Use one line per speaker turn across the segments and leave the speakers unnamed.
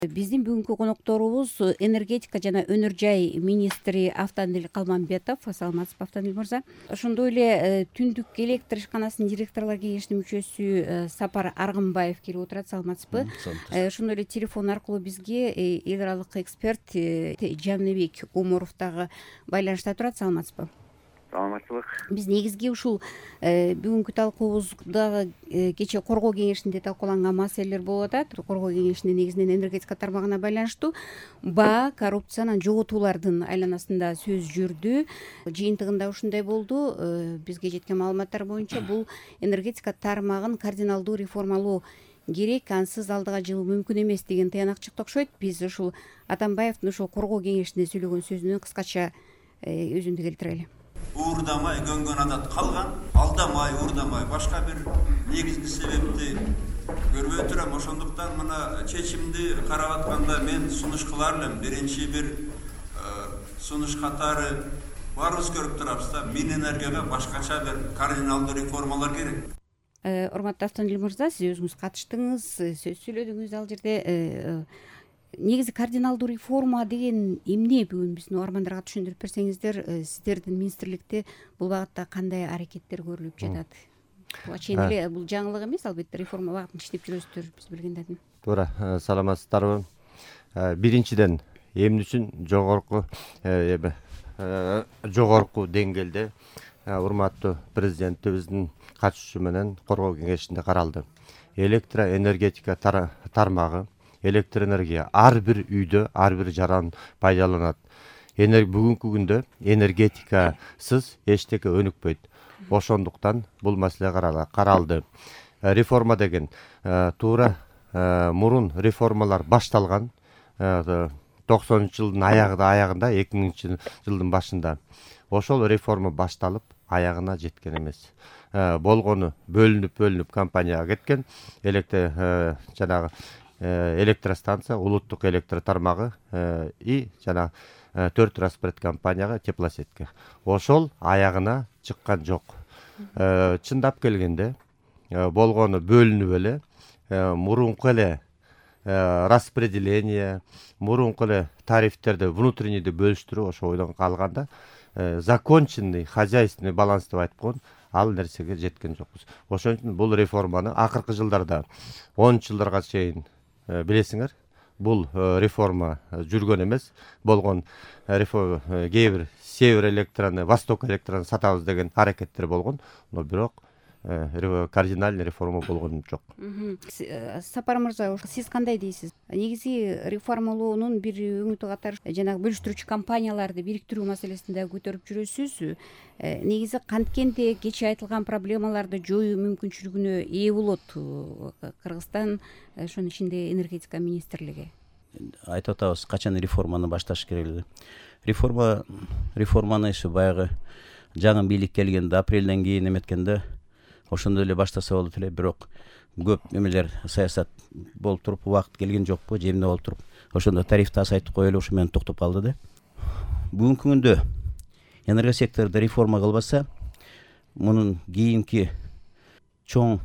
Биздин бүгүнкү конокторубуз энергетика жана өнөр жай министри Автандил Калмамбетов. Саламатсызбы, Автандил мырза? Ошондой эле түндүк электр ишканасынын директорлор кеңешинин мүчөсү Сапар Аргынбаев келип отурат. Саламатсызбы? Ошондой эле телефон аркылуу бизге эл аралык эксперт Жаныбек Умуров дагы байланышта турат. Саламатсызбы?
Саламатчылык.
Биз негизги ушул бүгүнкү талкуубузда кечээ коргоо кеңешинде талкууланган маселелер болуп атат. Коргоо кеңешинде негизинен энергетика тармагына байланыштуу баа, коррупция, анан жоготуулардын айланасында сөз жүрдү. Жыйынтыгында ушундай болду. Бизге жеткен маалыматтар боюнча бул энергетика тармагын кардиналдуу реформалоо керек, ансыз алдыга жылуу мүмкүн эмес деген тыянак чыкты окшойт. Биз ушул Атамбаевдин ушул коргоо кеңешинде сөйлөгөн сөзүнө кыскача өзүндү келтирели.
Уурдамай көнгөн адат калган, алдамай, уурдамай башка бир негизги себепти көрбөй турам. Ошондуктан мына чечимди карап атканда мен сунуш кылар элем. Биринчи бир сунуш катары баарыбыз көрүп турабыз да, Минэнергияга башкача бир кардиналдуу реформалар керек.
Урматтуу Автандил мырза, сиз өзүңүз катыштыңыз, сөз сүйлөдүңүз ал жерде. Негизи кардиналдуу реформа деген эмне? Бүгүн биздин угармандарга түшүндүрүп берсеңиздер, сиздердин министрликте бул багытта кандай аракеттер көрүлүп жатат? Буга чейин эле бул жаңылык эмес, албетте реформа багытында иштеп жүрөсүздөр, биз билгендердин.
Туура, саламатсыздарбы? Биринчиден эмне үчүн жогорку деңгээлде урматтуу президентибиздин катышуусу менен коргоо кеңешинде каралды. Электроэнергетика тармагы, электроэнергия ар бир үйдө, ар бир жаран пайдаланат. Бүгүнкү күндө энергетикасыз эчтеке өнүкпөйт. Ошондуктан бул маселе каралды. Реформа деген туура мурун реформалар башталган 90-жылдын аягында, 2000-жылдын башында. Ошол реформа башталып, аягына жеткен эмес. Болгону бөлүнүп компанияга кеткен, жанагы электростанция, улуттук электр тармагы и жана 4 распоред компанияга, теплосетке. Ошол аягына чыккан жок. Чындап келгенде болгону бөлүнүп эле, мурунку эле распределение, мурунку эле тарифтерди внутреннийди бөлүштүрүү ошо ойдон калганда законченный хозяйственный баланс деп айтып койгон ал нерсеге жеткен жокпуз. Ошон үчүн бул реформаны акыркы жылдарда 10 жылдарга чейин билесиңер, бул реформа жүргөн эмес. Болгон кээ бир Север электроны, Восток электроны сатабыз деген аракеттер болгон, но бирок кардинальный реформа болгон жок.
Сапар мырза, сиз кандай дейсиз? Негизи реформалоонун бир өңүтү катары жанагы бөлүштүрүүчү компанияларды бириктирүү маселесинде көтөрүп жүрөсүз. Негизи канткенде кечээ айтылган проблемаларды жоюу мүмкүнчүлүгүнө ээ болот Кыргызстан, ошонун ичинде энергетика министрлиги.
Айтып атабыз, качан реформаны башташ керек эле. Реформаны иши баягы жаңы бийлик келгенде, апрелден кийин эметкенде ошондой эле баштаса болот эле, бирок көп эмелер саясат болуп туруп, убакыт келген жокпу, жемде болуп туруп, ошондо тарифти азайтып коелу, ошо менен токтоп калды да. Бүгүнкү күндө энергия секторунда реформа кылбаса, мунун кийинки чоң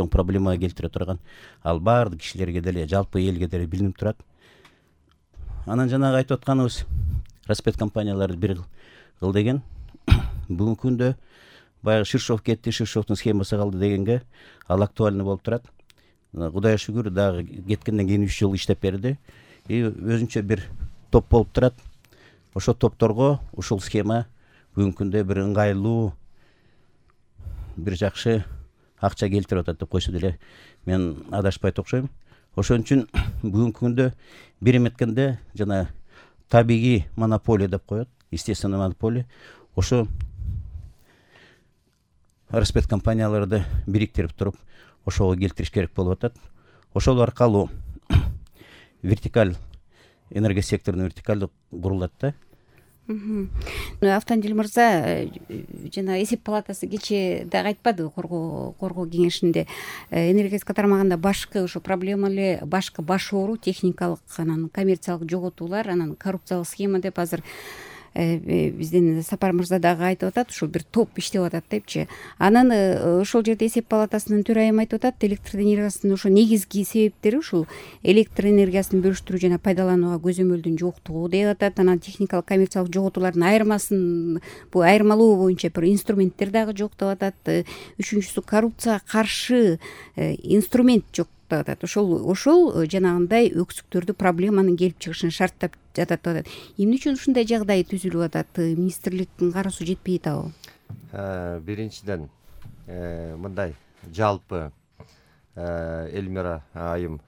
проблемага келтире турган, ал баардык кишилерге деле, жалпы элге деле билинип турат. Анан жанагы айтып атканыбыз, распоред компанияларды бир кыл деген, бүгүнкү күндө баягы Ширшов кетти, Ширшовдун схемасы калды дегенге ал актуальный болуп турат. Кудайга шүгүр, дагы кеткенден кийин 3 жыл иштеп берди. И өзүнчө бир топ болуп турат. Ошо топторго ушул схема бүгүнкү күндө бир ыңгайлуу, бир жакшы акча келтирип атат деп койсо деле мен адашпайт окшойм. Ошон үчүн бүгүнкү күндө бир эметкенде жана табигый монополия деп коет, естественный монополия. Ошо распоред компанияларды бириктирип туруп, ошого келтириш керек болуп атат. Ошол аркылуу вертикаль, энергия секторунун вертикаль курулат да.
Автандил мырза, жана эсеп палатасы кечээ дагы айтпадыбы коргоо кеңешинде энергетика тармагында башкы ошо проблема эле, башкы баш оору техникалык, анан коммерциялык жоготуулар, анан коррупциялык схема деп азыр биздин Сапар мырза дагы айтып атат, ушул бир топ иштеп атат депчи. Анан ошол жерде эсеп палатасынын төрайымы айтып атат, электр энергиясынын ошо негизги себептери ушул электр энергиясын бөлүштүрүү жана пайдаланууга көзөмөлдүн жоктугу деп атат. Анан техникалык коммерциялык жоготуулардын айырмасын, бул айырмалоо боюнча бир инструменттер дагы жок деп атат. Үчүнчүсү, коррупцияга каршы инструмент жок деп атат. Ошол жанагындай өксүктөрдү, проблеманын келип чыгышын шарттап жатат деп атат. Эмне үчүн ушундай жагдай түзүлүп атат? Министрликтин кароосу жетпей атабы?
Биринчиден мындай жалпы Элмира айым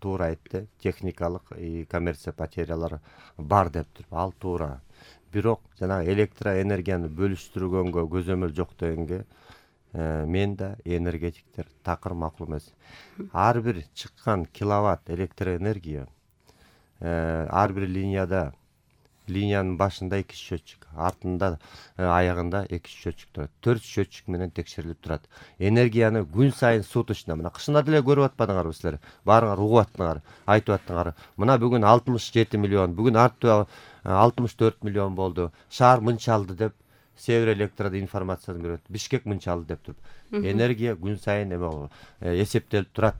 туура айтты, техникалык коммерция потерялары бар деп туруп, ал туура. Бирок жанагы электроэнергияны бөлүштүргөнгө көзөмөл жок дегенге мен да энергетиктер такыр макул эмес. Ар бир чыккан киловатт электроэнергия ар бир линиянын башында 2 счетчик, артында аягында 2 счетчик турат. 4 счетчик менен текшерилип турат. Энергияны күн сайын суточно, мына кышында деле көрүп атпадыңарбы силер? Баарыңар угуп аттыңар, айтып аттыңар. Мына бүгүн 67 миллион, бүгүн артты 64 миллион болду. Шаар мынча алды деп Север Электрода информацияны берет. Бишкек мынча алды деп туруп. Энергия күн сайын эсептелип турат.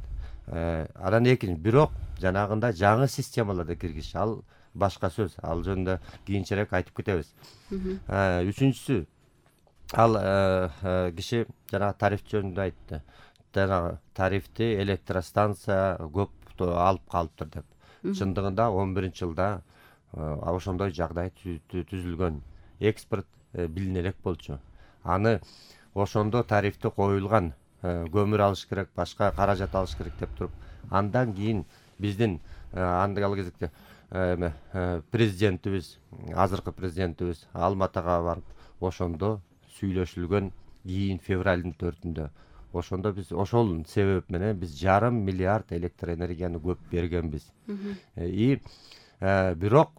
Анан экинчи, бирок жанагында жаңы системаларда киргиш, ал башка сөз. Ал жөнүндө кийинчерээк айтып кетебиз. Үчүнчүсү, ал киши жанагы тариф жөнүндө айтты. Жанагы тарифти электростанция көп алып калыптыр деп. Чындыгында 11-жылда ошондой жагдай түзүлгөн. Экспорт билине элек болчу. Аны ошондо тарифти коюлган, көмүр алыш керек, башка каражат алыш керек деп туруп, андан кийин биздин ал кезекте президентибиз, азыркы президентибиз Алматыга барып, ошондо сүйлөшүлгөн кийин февралдын 4-үндө. Ошондо биз ошол себеп менен биз 1,5 миллиард электроэнергияны көп бергенбиз. Бирок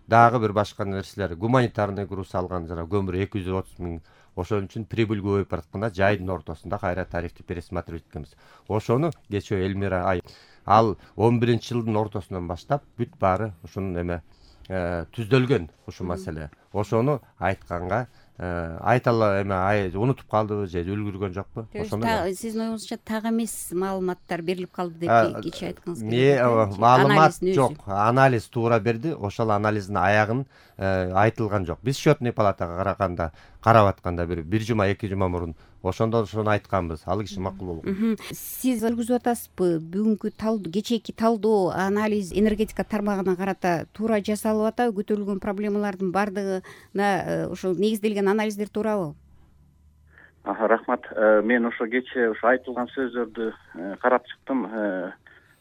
дагы бир башка нерселер, гуманитарный груз алган жана көмүр 230 миң. Ошон үчүн прибыль көбөйүп баратканда жайдын ортосунда кайра тарифти пересматривать эткенбиз. Ошону кечээ Элмира айым, ал 11-жылдын ортосунан баштап бүт баары ушунун түздөлгөн ушу маселе. Ошону айтканга айтала унутуп калдыбы же үлгүргөн жокпу?
Ошондо сиздин оюңузча так эмес маалыматтар берилип калды деп кечээ айткыңыз келет.
Маалымат жок, анализ туура берди, ошол анализдин аягын айтылган жок. Биз счетный палатага карап атканда бир жума, 2 жума мурун ошондо ошону айтканбыз. Ал киши макул болгон.
Сиз жүргүзүп атасызбы? Бүгүнкү талдоо, кечээки талдоо, анализ энергетика тармагына карата туура жасалып атабы? Көтөрүлгөн проблемалардын бардыгына ошол негизделген анализдер туурабы?
Рахмат. Мен ошо кечээ ошо айтылган сөздөрдү карап чыктым.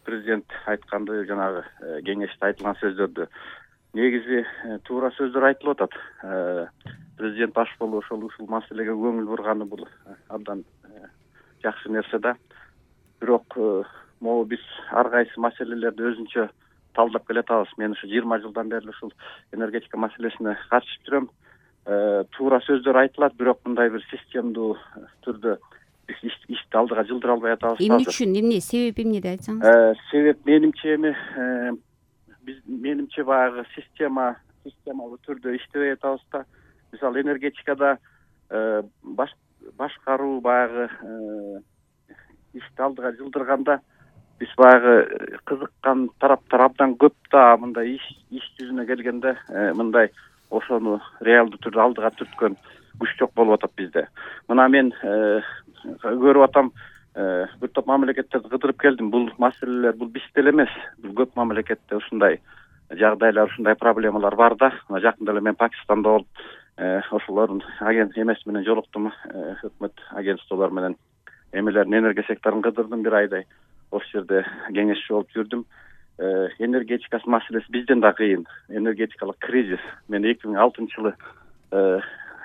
Президент айтканды, жанагы кеңеште айтылган сөздөрдү. Негизи туура сөздөр айтылып атат. Президент баш болуп ушул маселеге көңүл бурганы бул абдан жакшы нерсе да. Бирок могу биз ар кайсы маселелерди өзүнчө талдап келатабыз. Мен ушу 20 жылдан бери ушул энергетика маселесине катышып жүрөм. Туура сөздөр айтылат, бирок мындай бир системдүү түрдө биз ишти алдыга жылдыра албай атабыз.
Эмне үчүн, эмне себеп, эмнеди айтсаңыз?
Себеп менимче баягы системалуу түрдө иштебей атабыз да. Мисалы энергетикада башкаруу баягы ишти алдыга жылдырганда биз баягы кызыккан тараптар абдан көп да, мындай иш жүзүнө келгенде мындай ошону реалдуу түрдө алдыга түрткөн күч жок болуп атат бизде. Мына мен көрүп атам, бир топ мамлекеттерди кыдырып келдим. Бул маселелер бул бизде эле эмес. Бул көп мамлекетте ушундай жагдайлар, ушундай проблемалар бар да. Жакында эле мен Пакистанда болуп, ошолордун эмеси менен жолуктум, өкмөт агентстволор менен эмелердин энергия секторун кыдырдым бир айдай. Ошол жерде кеңешчи болуп жүрдүм. Энергетика маселеси бизден да кыйын. Энергетикалык кризис. Мен 2006-жылы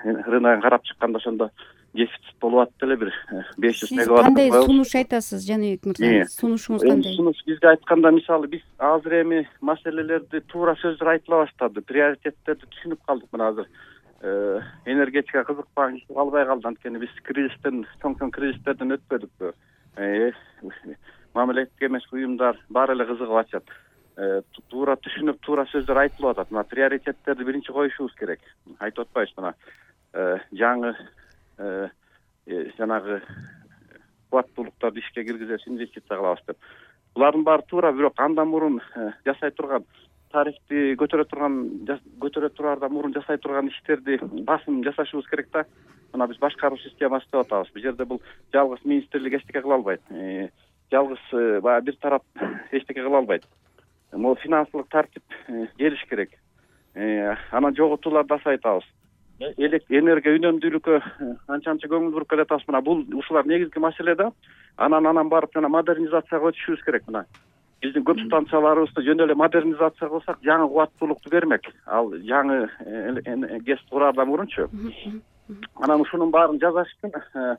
рыногун карап чыкканда ошондо дефицит болуп атты эле, бир 500 мегаватт.
Кандай сунуш айтасыз, Жаныбек мырза? Сунушуңуз кандай?
Сунуш бизге айтканда, мисалы биз азыр эми маселелерди туура сөздөр айтыла баштады, приоритеттерди түшүнүп калдык. Мына азыр энергетика кызыкпаган киши калбай калды, анткени биз чоң кризистерден өтпөдүкпү. Мамлекеттик эмес уюмдар баары эле кызыгып атышат. туура түшүнүп туура сөздөр айтылып атат. Мына приоритеттерди биринчи коюшубуз керек. Айтып атпайбыз мына жаңы жанагы кубаттуулуктарды ишке киргизебиз, инвестиция кылабыз деп. Булардын баары туура, бирок андан мурун жасай турган тарифти көтөрө турардан мурун жасай турган иштерди басым жасашыбыз керек да. Мына биз башкаруу системасы деп атабыз. Бул жерде бул жалгыз министрлик эчтеке кыла албайт. Жалгыз баягы бир тарап эчтеке кыла албайт. Могу финансылык тартип келиш керек. Анан жоготууларды азайтабыз. Энергия үнөмдүүлүккө анча көңүл буруп келатабыз. Мына бул ушулар негизги маселе да. Анан барып жана модернизацияга өтүшүбүз керек. Мына биздин көп станцияларыбызды жөн эле модернизация кылсак, жаңы кубаттуулукту бермек. Ал жаңы ГЭС кураардан мурунчу. Анан ушунун баарын жасаш үчүн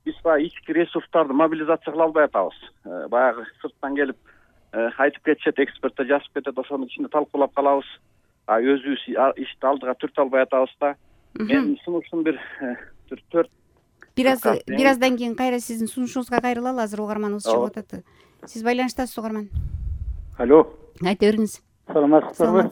биз баягы ички ресурстарды мобилизация кыла албай атабыз. Баягы сырттан келип айтып кетишет, эксперттер жазып кетет, ошонун ичинде талкуулап калабыз. Өзүбүз ишти алдыга түртө албай атабыз да. Менин сунушум бир 4
бираздан кийин кайра сиздин сунушуңузга кайрылалы. Азыр угарманыбыз чыгып атат. Сиз байланыштасыз, угарман.
Алло.
Айта бериңиз.
Саламатсыздарбы?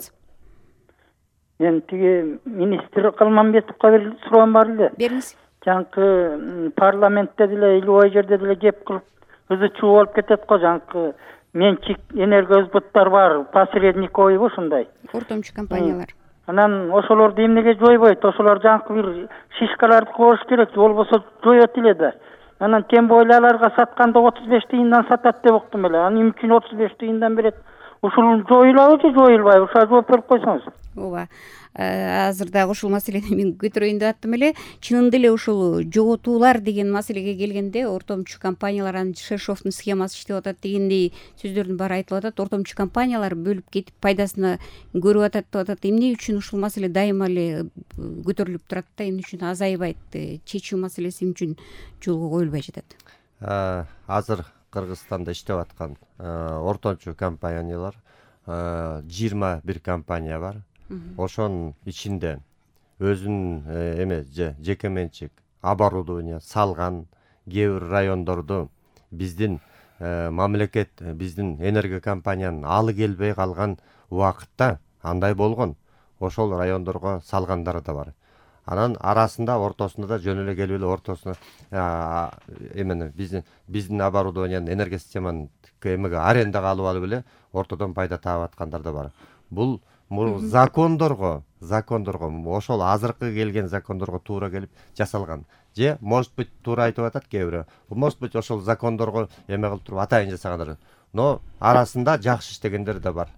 Мен тиги министр Калманбетовго бир суроом бар эле.
Бериңиз.
Жаңкы парламентте деле илбой жерде деле кеп кылып ызы чуу болуп кетет го. Жаңкы менчик энергосбыттар бар, посредниковый ушундай.
Ортомчу компаниялар.
Анан ошолорду эмнеге жойбойт? Ошолор жаңкы бир шишкаларды коюш керек, болбосо жоет эле да. Анан тем более аларга сатканда 35 тыйындан сатат деп уктум эле. Анан эмне үчүн 35 тыйындан берет? Ушул жоюлабы же жоюлбайбы? Ушуга жооп берип койсоңуз.
Ооба. Азыр дагы ушул маселени мен көтөрөйүн деп аттым эле. Чынында эле ушул жоготуулар деген маселеге келгенде ортомчу компаниялар, анын Шершовдун схемасы иштеп атат дегендей сөздөрдүн баары айтылып атат. Ортомчу компаниялар бөлүп кетип пайдасына көрүп атат деп атат. Эмне үчүн ушул маселе дайыма эле көтөрүлүп турат да, эмне үчүн азайбайт? Чечүү маселеси эмне үчүн жолго коюлбай жатат?
Азыр Кыргызстанда иштеп аткан ортомчу компаниялар 21 компания бар. Ошонун ичинде өзүнүн жеке менчик оборудование салган кээ бир райондорду биздин мамлекет, биздин энергия компаниянын алы келбей калган убакытта андай болгон. Ошол райондорго салгандары да бар. Анан арасында ортосунда да жөн эле келип эле ортосуна биздин оборудованиянын энергия системанын арендага алып эле ортодон пайда таап аткандар да бар. Бул закондорго ошол азыркы келген закондорго туура келип жасалган. Же может быть туура айтып атат кээ бирөө. Может быть ошол закондорго эме кылып туруп атайын жасагандар. Но арасында жакшы иштегендер да бар.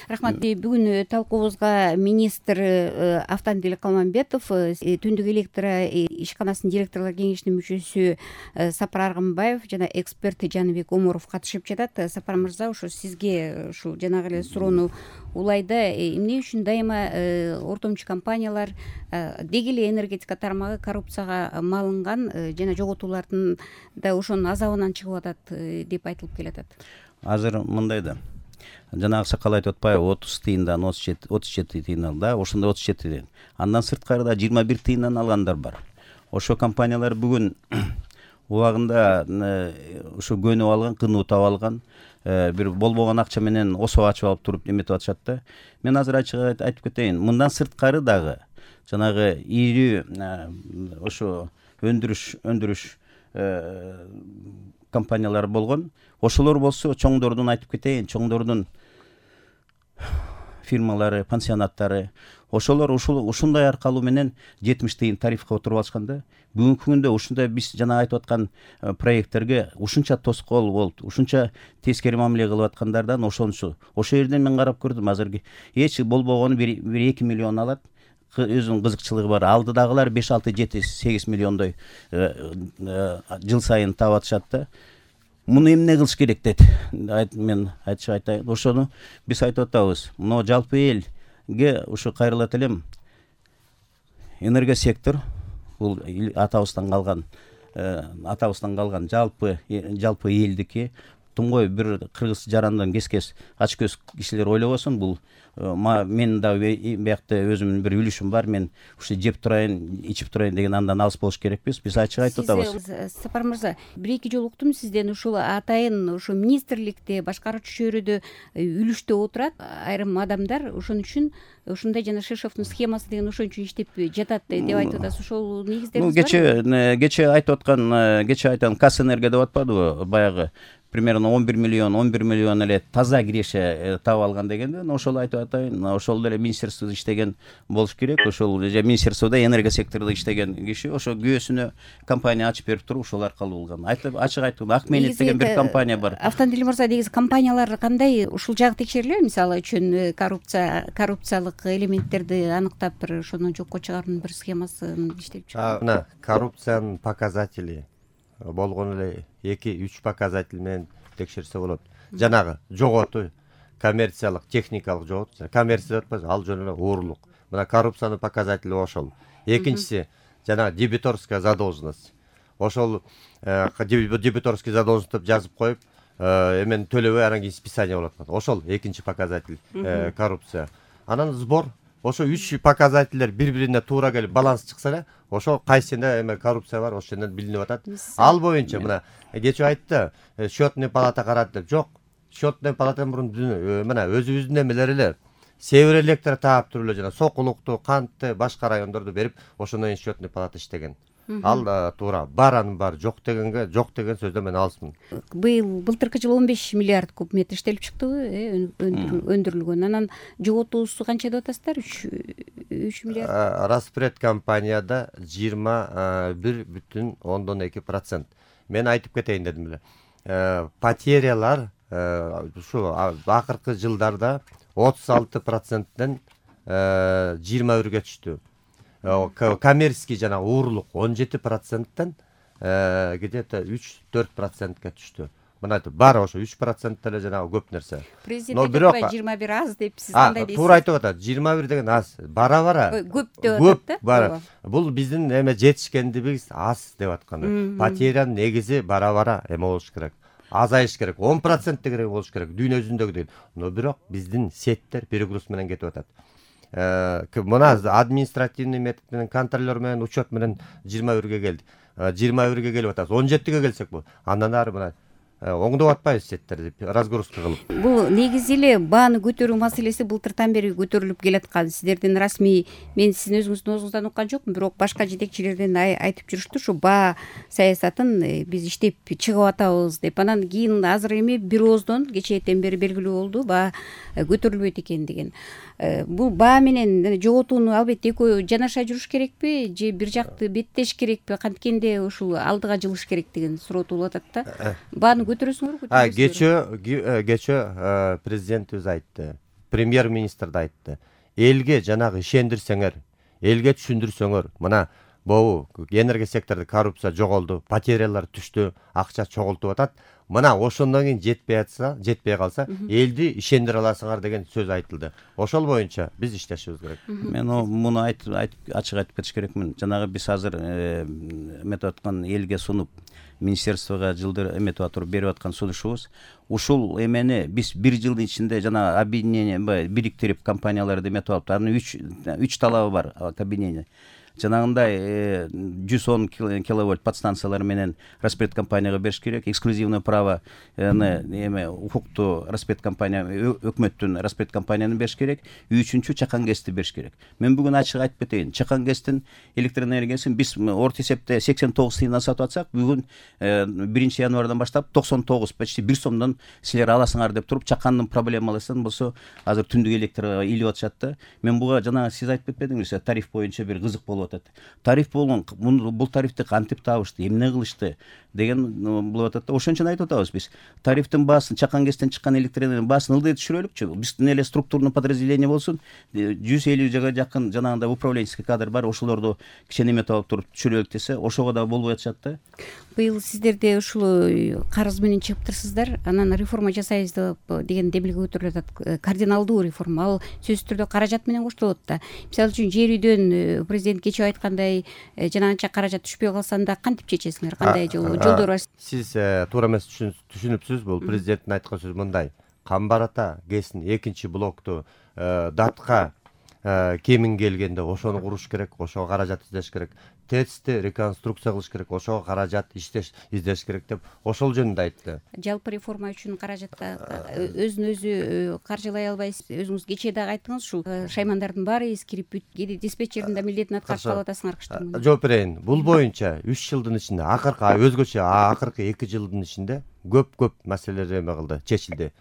Рахмат. Бүгүн талкуубузга министр Автандил Калманбетов, Түндүк электр ишканасынын директорлор кеңешинин мүчөсү Сапар Аргынбаев жана эксперт Жаныбек Омуров катышып жатат. Сапар мырза, ошо сизге ушул жанагы эле суроону улайда, эмне үчүн дайыма ортомчу компаниялар деги эле энергетика тармагы коррупцияга малынган жана жоготуулардын да ошонун азабынан чыгып атат деп айтылып келатат?
Азыр мындай да. Жанагы сакал айтып атпайбы, 30 тыйындан 37 тыйын алды, ошондо 37 тыйын. Андан сырткары да 21 тыйындан алгандар бар. Ошо компаниялар бүгүн убагында ушу көнүп алган, кынуутап алган, бир болбогон акча менен осо ачып алып туруп эметип атышат да. Мен азыр ачык айтып кетейин. Мындан сырткары дагы жанагы ири ошо өндүрүш компаниялар болгон. Ошолор болсо чоңдордун айтып кетейин, чоңдордун фирмалары, пансионаттары, ошолор ушундай аркалуу менен 70 тыйын тарифке отуруп алышканда, бүгүнкү күндө ушундай биз жана айтып аткан проекттерге ушунча тоскоол болуп, ушунча тескери мамиле кылып аткандардан ошончу. Ошол жерден мен карап көрдүм, азыркы эч болбогону бир 2 миллион алат. Өзүнүн кызыкчылыгы бар. Алдыдагылар 5, 6, 7, 8 миллиондой жыл сайын таап атышат да. Муну эмне кылыш керек дейт. Мен айтайын. Ошону биз айтып атабыз. Мына жалпы элге ушу кайрылат элем. Энергия сектор бул атабыздан калган жалпы элдики. туңгой бир кыргыз жарандан кескес ачкөз кишилер ойлобосун, бул мен дагы биякта өзүмдүн бир үлүшүм бар, мен ушу жеп турайын, ичип турайын деген андан алыс болуш керекпиз. Биз ачык айтып атабыз.
Сапар мырза, бир-эки жолу уктум сизден ушул атайын ушу министрликте, башкаруучу чөйрөдө үлүштө отурат айрым адамдар, ошон үчүн ушундай жана Шишовдун схемасы деген ошон үчүн иштеп жатат деп айтып атасыз. Ошол негиздериңиз барбы?
Кечээ айтып аткан Касэнерго деп атпадыбы, баягы примерно 11 миллион эле таза киреше таап алган дегенде, ошол айтып атайын, ошол деле министерстводо иштеген болуш керек. Ошол же министерстводо энергия секторунда иштеген киши ошо күйөөсүнө компания ачып берип туруп, ошол аркылуу болгон. Ачык айтып, Акменет деген бир компания бар.
Автандил мырза, негизи компаниялар кандай ушул жагы текшерилеби? Мисалы үчүн коррупциялык элементтерди аныктап бир ошону жокко чыгаруунун бир схемасын иштеп чыгат.
Мына коррупциянын показатели болгон эле 2-3 показатель менен текшерсе болот. Жанагы жоготуу, коммерциялык, техникалык жоготуу, коммерция деп атпайбы, ал жөн эле уурлук. Мына коррупциянын показатели ошол. Экинчиси жанагы дебиторская задолженность. Ошол дебиторский задолженность деп жазып коюп, эмен төлөбөй анан кийин списание болот. Ошол экинчи показатель коррупция. Анан сбор. Ошо 3 показательдер бири-бирине туура келип баланс чыкса эле, ошо кайсында эме коррупция бар, ошондон билинип атат. Ал боюнча мына кечээ айтты, счетный палата карады деп. Жок, счетный палатадан мурун мына өзүбүздүн эмелер эле Север электр таап туруп эле жана Сокулукту, Кантты, башка райондорду берип, ошондон кийин счетный палата иштеген. Ал туура бар, анын бар, жок деген сөздөн мен алысмын.
Былтыркы жылы 15 миллиард куб метр иштелип чыктыбы, өндүрүлгөн. Анан жоготуусу канча деп атасыздар? 3 миллиард.
Распред компанияда 21,2%. Мен айтып кетейин дедим эле. Потерялар ушу акыркы жылдарда 36%ден 21-ге түштү. Коммерческий жана уурлук 17%ден где-то 3-4%га түштү. Мына бар ошо 3% эле жанагы көп нерсе.
Президент айтып 21 аз деп сиз кандай дейсиз?
Туура айтып атат. 21 деген аз. Бара-бара.
Көп деп атат
да. Бул биздин эме жетишкендигибиз аз деп атканы. Потерянын негизи бара-бара эме болуш керек. Азайыш керек. 10% деген болуш керек. Дүйнө жүзүндөгүдөй. Но бирок биздин сеттер перегруз менен кетип атат. Мына административный метод менен, контролер менен, учет менен 21-ге келди. 21-ге келип атабыз. 17-ге келсек бул. Андан ары мына оңдоп атпайбыз сеттерди, разгрузка кылып.
Бул негизи эле бааны көтөрүү маселеси былтыртан бери көтөрүлүп келаткан. Сиздердин расмий, мен сиздин өзүңүздүн оозуңуздан уккан жокмун, бирок башка жетекчилерден айтып жүрүштү, ушу баа саясатын биз иштеп чыгып атабыз деп. Анан кийин азыр эми бир ооздон кечээден бери белгилүү болду, баа көтөрүлбөйт экен деген. Бул баа менен жоготууну албетте экөө жанаша жүрүш керекпи, же бир жакты беттеш керекпи, канткенде ушул алдыга жылыш керек деген суроо туулуп атат да. Бааны көтөрөсүңөрбү?
Кечээ президентибиз айтты, премьер-министр да айтты. Элге жанагы ишендирсеңер, элге түшүндүрсөңөр, мына бобу энергия секторунда коррупция жоголду, потерялар түштү, акча чогултуп атат. Мына ошондон кийин жетпей калса, элди ишендире аласыңар деген сөз айтылды. Ошол боюнча биз иштешибиз керек.
Мен муну ачык айтып кетиш керекмин. Жанагы биз азыр эметип аткан элге сунуп, министерствого жылдыр эметип атып берип аткан сунушубуз. Ушул эмени биз бир жылдын ичинде жана объединение бириктирип компанияларды эметип алып, анын 3 талабы бар объединение. Жанагындай 110 киловольт подстанциялар менен распред компанияга бериш керек. Эксклюзивное право эме укукту распред компания, өкмөттүн распред компанияны бериш керек. Үчүнчү чакан гэсти бериш керек. Мен бүгүн ачык айтып кетейин. Чакан гэстин электроэнергиясын биз орто эсепте 89 тыйындан сатып атсак, бүгүн 1 январдан баштап 99, почти 1 сомдон силер аласыңар деп туруп, чакандын проблемалысын болсо азыр түндүк электрге илип атышат да. Мен буга жана сиз айтып кетпедиңизби, тариф боюнча бир кызык болуп атат. Тариф болгон, бул тарифти кантип табышты, эмне кылышты деген болуп атат да. Ошон үчүн айтып атабыз биз. Тарифтин баасын, чакан гэстен чыккан электроэнергиянын баасын ылдый түшүрөлүкчү. Биздин эле структурный подразделение болсун, 150-га жакын жанагындай управленческий кадр бар, ошолорду кичине эметип алып туруп түшүрөлүк десе, ошого да болбой атышат да.
Быйыл сиздерде ушул карыз менен чыгыптырсыздар, анан реформа жасайбыз деген демилге көтөрүлүп атат. Кардиналдуу реформа, ал сөзсүз түрдө каражат менен коштолот да. Мисалы үчүн жер үйдөн президент кечээ айткандай жана анча каражат түшпөй калса анда кантип чечесиңер, кандай жолдор бар?
Сиз туура эмес түшүнүпсүз. Бул президенттин айткан сөзү мындай: Камбар ата КЭСтин 2-блокту датка кемин келгенде ошону куруш керек, ошого каражат издеш керек. ТЭЦти реконструкция кылыш керек, ошого каражат издеш керек деп ошол жөнүндө айтты.
Жалпы реформа үчүн каражатка өзүн өзү каржылай албайсыз. Өзүңүз кечээ дагы айттыңыз, ушул шаймандардын баары эскирип кээде диспетчердин да милдетин аткарып калып атасыңар кыштыгында.
Жооп берейин. Бул боюнча 3 жылдын ичинде, өзгөчө акыркы 2 жылдын ичинде көп маселелер эме кылды, чечилди.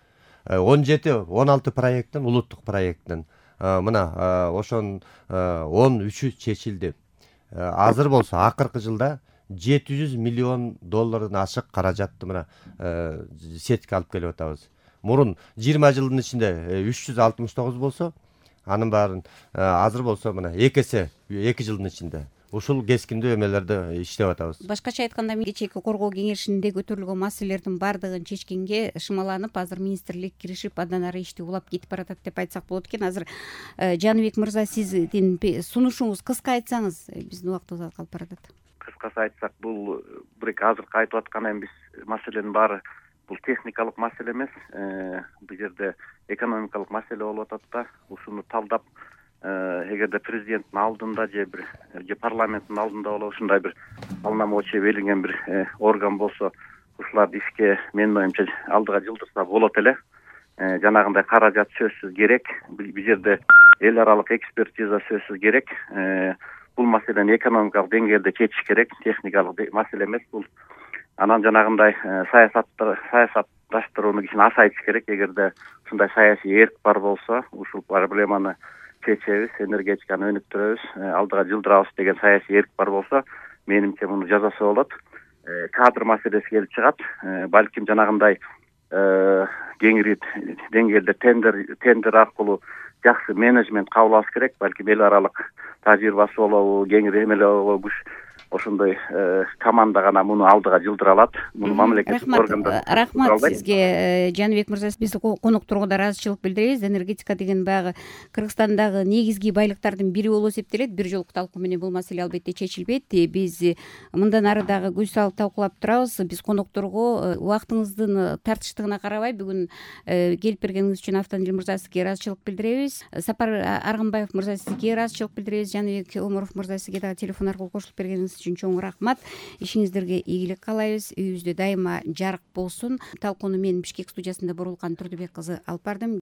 17-16 проекттин, улуттук проекттин мына ошонун 13-ü чечилди. Азыр болсо акыркы жылда $700 миллион ашык каражатты мына сетке алып келип атабыз. Мурун 20 жылдын ичинде 369 болсо, анын баарын азыр болсо мына 2 эсе 2 жылдын ичинде ушул кескиндүү эмелерди иштеп атабыз.
Башкача айтканда, кечээки коргоо кеңешинде көтөрүлгөн маселелердин баардыгын чечкенге шымаланып, азыр министрлик киришип, андан ары ишти улап кетип баратат деп айтсак болот экен. Азыр Жаныбек мырза, сиздин сунушуңуз кыска айтсаңыз, биздин убактыбыз калып баратат.
Кыскасы айтсак, бул бир азыркы айтып аткан эми биз маселенин баары бул техникалык маселе эмес. Бул жерде экономикалык маселе болуп атат да. Ушуну талдап, эгерде президенттин алдында же парламенттин алдында боло ушундай бир полномочия берилген бир орган болсо, ушуларды ишке менин оюмча алдыга жылдырса болот эле. Жанагындай каражат сөзсүз керек. Бул жерде эл аралык экспертиза сөзсүз керек. Бул маселени экономикалык деңгээлде чечиш керек, техникалык маселе эмес бул. Анан жанагындай саясатташтырууну кичине азайтыш керек. Эгерде ушундай саясий эрк бар болсо, ушул проблеманы чечебиз, энергетиканы өнүктүрөбүз, алдыга жылдырабыз деген саясий эрк бар болсо, менимче муну жасаса болот. Кадр маселеси келип чыгат. Балким жанагындай кеңири деңгээлде тендер аркылуу жакшы менеджмент кабыл алыш керек. Балким эл аралык тажрыйбасы болобу, кеңири эмеле болобу, ошондой команда гана муну алдыга жылдыра алат. Муну мамлекеттик органдар.
Рахмат сизге, Жаныбек мырза. Биз конокторго ыраазычылык билдиребиз. Энергетика деген баягы Кыргызстандагы негизги байлыктардын бири болуп эсептелет. Бир жолку талкуу менен бул маселе албетте чечилбейт. Биз мындан ары дагы көз салып талкуулап турабыз. Биз конокторго убактыңыздын тартыштыгына карабай бүгүн келип бергениңиз үчүн Автандил мырза сизге ыраазычылык билдиребиз. Сапар Аргынбаев мырза, сизге ыраазычылык билдиребиз. Жаныбек Омуров мырза, сизге дагы телефон аркылуу кошулуп бергениңиз үчүн чоң рахмат. Ишиңиздерге ийгилик каалайбыз. Үйүбүздө дайыма жарык болсун. Талкууну мен Бишкек студиясында Борулкан Турдубек кызы алып бардым.